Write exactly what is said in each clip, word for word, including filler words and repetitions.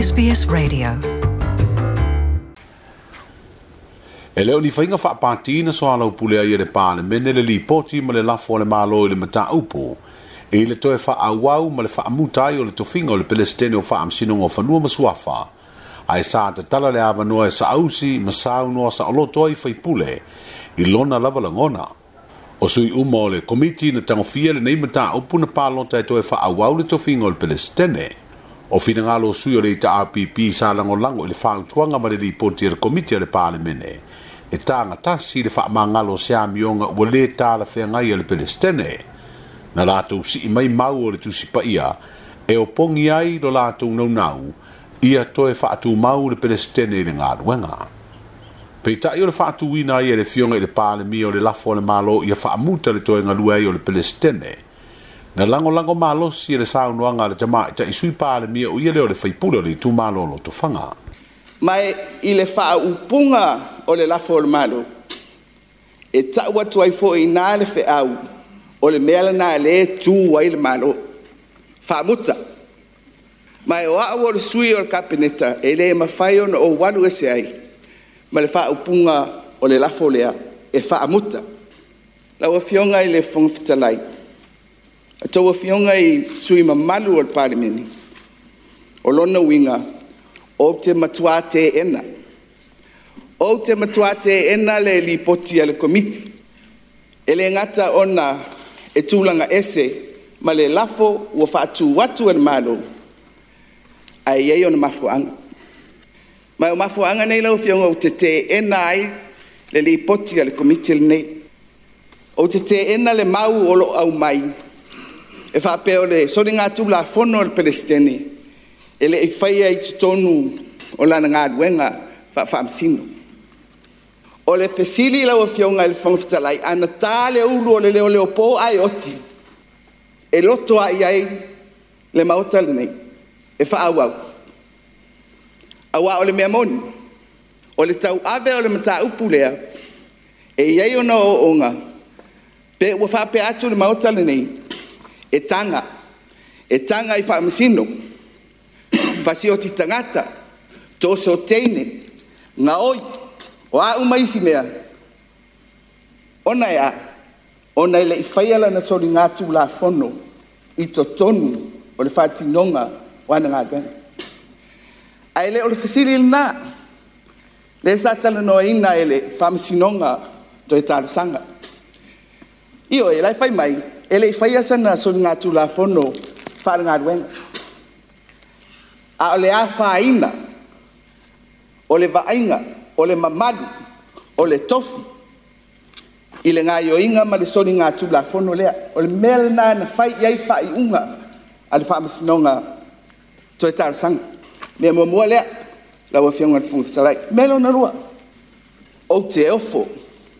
S B S Radio. E leo ni whainga whaapāti na soalau pule ai e le pālemene le lipoti ma le lafo le malo i le mataupu. E le toe whaawau ma le whaamutai o le tofinga o le Pelestene o whaamsinonga o whanua masuafa. Ai sa tatala le awanoa e saausi ma saunoa sa oloto ai whaipule i lona lava langona. O sui uma o le komiti na tangofia le nei mataupu na pālota e toe whaawau le tofinga o le Pelestene. O finangalo sui o le ita R P P sa langolango i le whaautuanga ma le lipoti e le komiti a le pālemene. E tānga tasi le whaamangalo se amionga ua le tāla whengai a le Pelestene. Na lātou si i mai mau o le tusipaia e o pongi ai lo lātou naunau ia toe whaatu mau le Pelestene i le ngāruenga. Peitai o le whaatuina ai e le fionga i le pālemia o le lafo o le malo ia whaamuta le toe ngalua ai o le Pelestene. Na langolango malosi e le saunoanga le tama i tai sui pālemia o ia leo le whaipula le tu malo lo tofanga. Mai i le whaaupunga o le lafo o le malo, e tau atu ai fo i nā le wheau o le mea lana le tū ai le malo. Whaamuta. Mai o au o le sui o le kapeneta e le mawhai ona o walu ese ai ma le whaaupunga o le lafo lea e whaamuta. Lau afionga i le Fofoga Fetalai, a tau afionga i sui mamalu o le Palemene, o lona uiga, o te matua te ena. O te matua te ena le lipoti a le komiti. E le ngata ona e tūlanga ese ma le lafo ua whaatu atu e le malo, ai ei ona mafuanga. Mai o mafuanga nei lau afionga o te te ena ai le lipoti a le komiti le nei. O te te ena le mau o lo au mai, e whaapea o le soringa tūla fono o le Pelestene, e le i whaia i tutonu o lana ngāruenga whaamsino. O le fesili lau afionga i le Fofoga Fetalai, ana tā le ulu o le leo leo pō ai oti, e loto ai ai le maota lenei, e whaauau. Aua o le mea moni, o le tau ave o le mataupu lea, e iai ona o onga, pe ua whaapea atu le maota lenei, e tanga, e tanga i whaamasino, whasioti tangata, tōso teine, ngaoi, o a uma isi mea, ona e a, ona e le i whaiala na sori ngā la fono, i totonu o le whaatinonga o ana ngā ruenga. Ai le o le fesili lena, le sa talanoa ina e le whaamasinonga toe talosanga. Io e lai whai mai, e le i whaia sana sori ngā la fono whaara ngā ruenga. A o le a whaina, o le vainga, o le mamalu, o le tofi, i le ngā ioinga ma le sori ngā tūla fono lea. O le mea lena na whai iai whai unga a le whaamasinonga toe talosanga. Mea muamua lea, lau afionga le Fofoga Fetalai. Mea lona lua, o te ofo,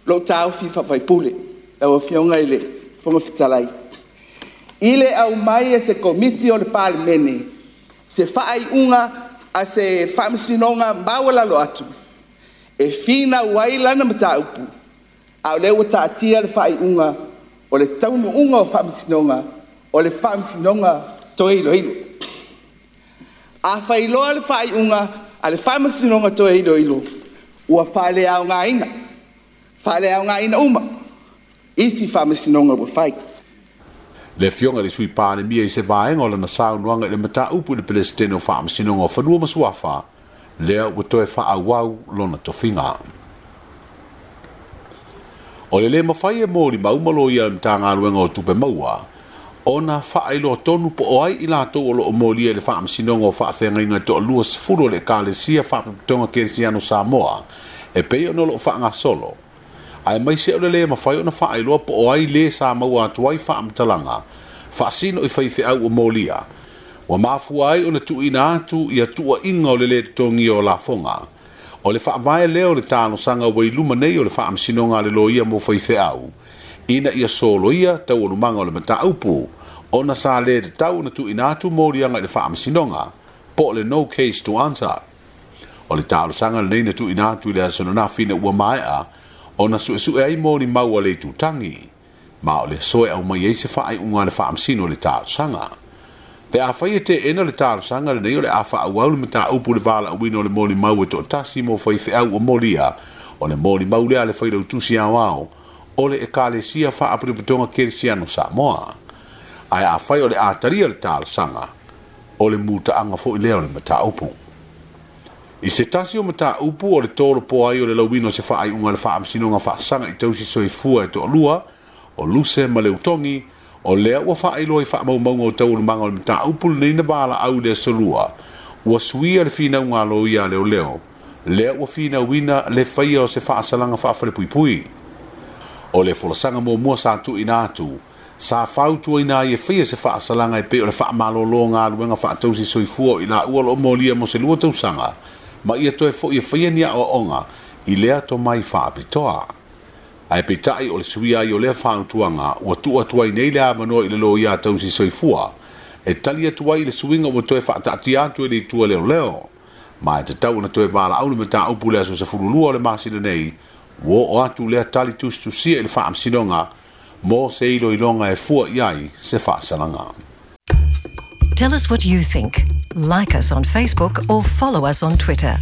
lo tāofi whawaipule, lau afionga i le Fofoga Fetalai. I le au mai e se komiti o le Palemene, se whaai unga a se whaamasinonga maualalo atu, e whina wai lana mataupu, a o lea ua taatia le whaai unga o le taunu unga o whaamasinonga, o le whaamasinonga toe iloilo. A whailoa le whaai unga a le whaamasinonga toe iloilo, ua whale au ngā ina, whale au ngā ina uma, isi whaamasinonga ua whai. Le fionga le sui pālemia i se vaenga o lana saunoanga i le mataupu i le Pelestene o whaamasinonga o whanua masuafa, lea ua toe whaawau lona tofinga. O le le mawhai e mōri maumalo ia mtāngaluenga o tupe maua, ona whaailoa tonu po o ai i lātou o lo o mōlia i le whaamasinonga o whaawhengainga toa lua sefulu o le Ekalesia Whaaputonga Kerisiano Samoa, e pei ona lo o whaangasolo. Ai mai se o le le mawhai ona whaailoa po o ai le sa maua atu ai whaamatalanga, whaasino i whaiwheau o mōlia. Wa mafua ai ona tuina atu ia tua inga o le le tongi o lafonga. O le whaavae leo le tālosanga wa iluma nei o le whaamasinonga le loia mo whaiwheau. Ina ia solo ia tau olumanga o le mataupu, ona sa le te tau na tuina atu mōlianga i le whaamasinonga, po le no case to answer. O le tālosanga le nei na tuina atu i le asonona whina ua maea, ona suesue ai mōni maua le tutangi. Ma o le soe au mai ei se whaai unga le whaamasino le tālosanga. Pe afai e teena le talosaga lenei, o le a faaauau le mataupu le valaauina o le molimau e toatasi mo faifeau o molia. O le molimau lea a le Failautusi Aoao o le Ekalesia Faapotopotoga Kerisiano Samoa. Ae afai o le a talia le talosaga, o le mutaaga foi lea o le mataupu. I se tasi o mataupu o le tolopo ai o le lauina o se faaiuga a le Faamasinoga Faasaga i Tausi Soifua e toalua, o Luse ma Leutogi, o lea ua faailoa i faamaumauga o taualumaga o le mataupu lenei na valaau i le aso Lua, ua suia le finauga a loia a leoleo, lea ua finauina le faia o se faasalaga faafalepuipui. O le folasaga muamua sa tuuina atu, sa fautuaina ai e faia se faasalaga e pei o le faamalolo galuega faatausi soifua o i laua o lo o molia mo se lua tausaga, ma ia toe foi e faia ni aoaoga i lea tomai faapitoa. Ae peitai o le suia ai o lea fautuaga ua tuu atu ai nei le avanoa i le loia tausi soifua e tali atu ai i le suiga ua toe faataatia atu e le itu a leoleo. Ma e tatau ona toe valaau le mataupu le aso sefululua o le masina nei, ua oo atu lea tali tusitusia i le Faamasinoga mo se iloiloga e fua i ai se faasalaga. Tell us what you think. Like us on Facebook or follow us on Twitter.